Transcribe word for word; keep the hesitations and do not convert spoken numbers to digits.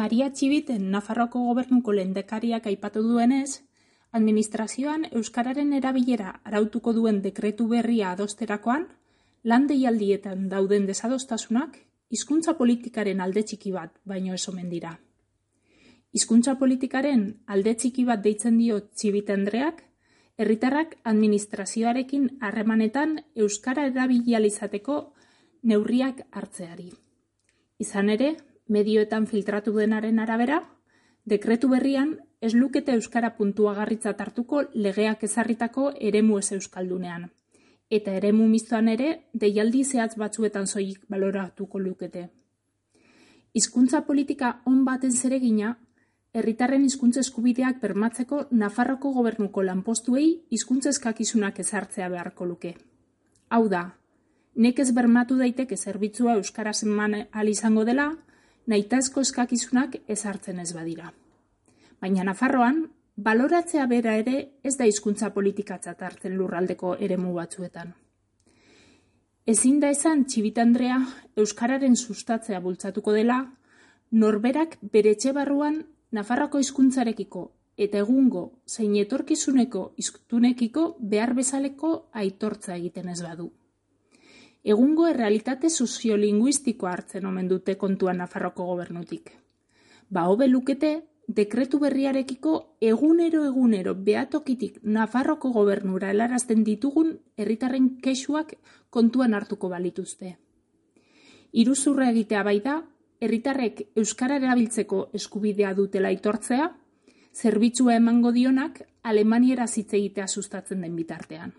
Maria Txibiten Nafarroako gobernuko lehendakariak aipatu duenez, administrazioan euskararen erabilera arautuko duen dekretu berria adosterakoan, lan deialdietan dauden desadostasunak hizkuntza politikaren alde txiki bat baino ez omen dira. Hizkuntza politikaren alde txiki bat deitzen dio Txibite Andreak, herritarrak administrazioarekin harremanetan euskara erabili ahal izateko neurriak hartzeari. Izan ere, medioetan filtratu denaren arabera, dekretu berrian ez lukete euskara puntuagarritzat hartuko legeak ezarritako eremu ez euskaldunean, eta eremu mistoan ere deialdi zehatz batzuetan soilik baloratuko lukete. Hizkuntza politika on baten zeregina, herritarren hizkuntza eskubideak bermatzeko Nafarroko gobernuko lanpostuei hizkuntza eskakizunak ezartzea beharko luke. Hau da, nekez bermatu daiteke zerbitzua euskaraz eman ahal izango dela, nahitaezko eskakizunak ezartzen ez badira. Baina Nafarroan, baloratzea bera ere ez da hizkuntza politikatzat hartzen lurraldeko eremu batzuetan. Ezin da esan Txibite Andrea euskararen sustatzea bultzatuko dela, norberak bere etxe barruan Nafarroko hizkuntzarekiko eta egungo zein etorkizuneko hiztunekiko behar bezaleko aitortza egiten ez badu. Egungo errealitate soziolinguistikoa hartzen omen dute kontuan Nafarroko gobernutik. Ba hobe lukete, dekretu berriarekiko egunero-egunero behatokitik Nafarroko gobernura helarazten ditugun herritarren kexuak kontuan hartuko balituzte. Iruzurra egitea bai da, herritarrek euskara erabiltzeko eskubidea dutela aitortzea, zerbitzua emango dionak Alemaniera hitz egitea sustatzen den bitartean.